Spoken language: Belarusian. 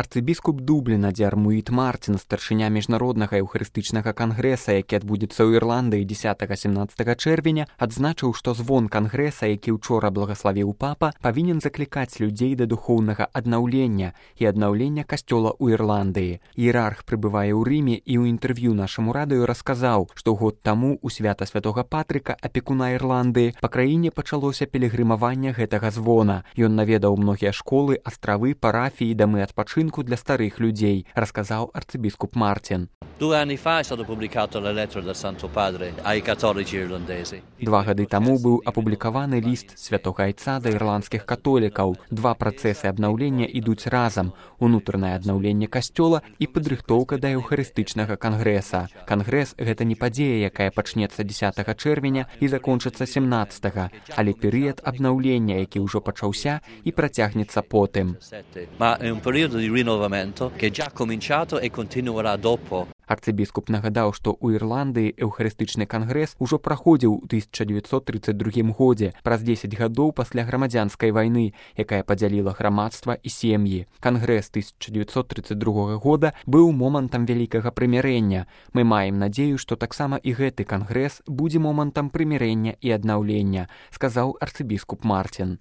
Арцыбіскуп Дубліна Дзярмуіт Мартін, старшыня міжнароднага еўхарыстычнага кангрэса, які адбудзецца ў Ірландыі 10-17 чэрвеня, адзначыў, што звон кангрэса, які ўчора благаславіў папа, павінен заклікаць людзей да духоўнага аднаўлення і аднаўлення касцёла ў Ірландыі. Іерарх прыбывае ў Рыме і ў інтэрв'ю нашаму радыё расказаў, што год таму у свята святога Патрыка, апекуна Ірландыі, па краіне пачалося пілігрымаванне гэтага звона. Ён наведаў многія школы, астравы, парафіі, дамы адпачынку для старых людзей, расказаў арцыбіскуп Мартін. 2 anni fa è stato pubblicato la lettera del Santo Padre ai cattolici irlandesi. 2 гады таму быў апублікаваны ліст святога айца да ірландскіх католікаў. 2 працэсы абнаўлення ідуць разам: унутранае аднаўленне касцёла і падрыхтоўка да еўхарыстычнага кангрэса. Кангрэс — гэта не падзея, якая пачнецца 10 чэрвеня і закончыцца 17, але перыяд абнаўлення, які ўжо пачаўся і працягнецца потым. Ma è un periodo di rinnovamento che è già cominciato e continuerà dopo. Арцыбіскуп нагадаў, што ў Ірландыі еўхарыстычны кангрэс ужо праходзіў у 1932 годзе, праз 10 гадоў пасля грамадзянскай вайны, якая падзяліла грамадства і сем'і. Кангрэс 1932 года быў момантам вялікага прымірэння. Мы маем надзею, што таксама і гэты кангрэс будзе момантам прымірэння і аднаўлення, сказаў арцыбіскуп Мартін.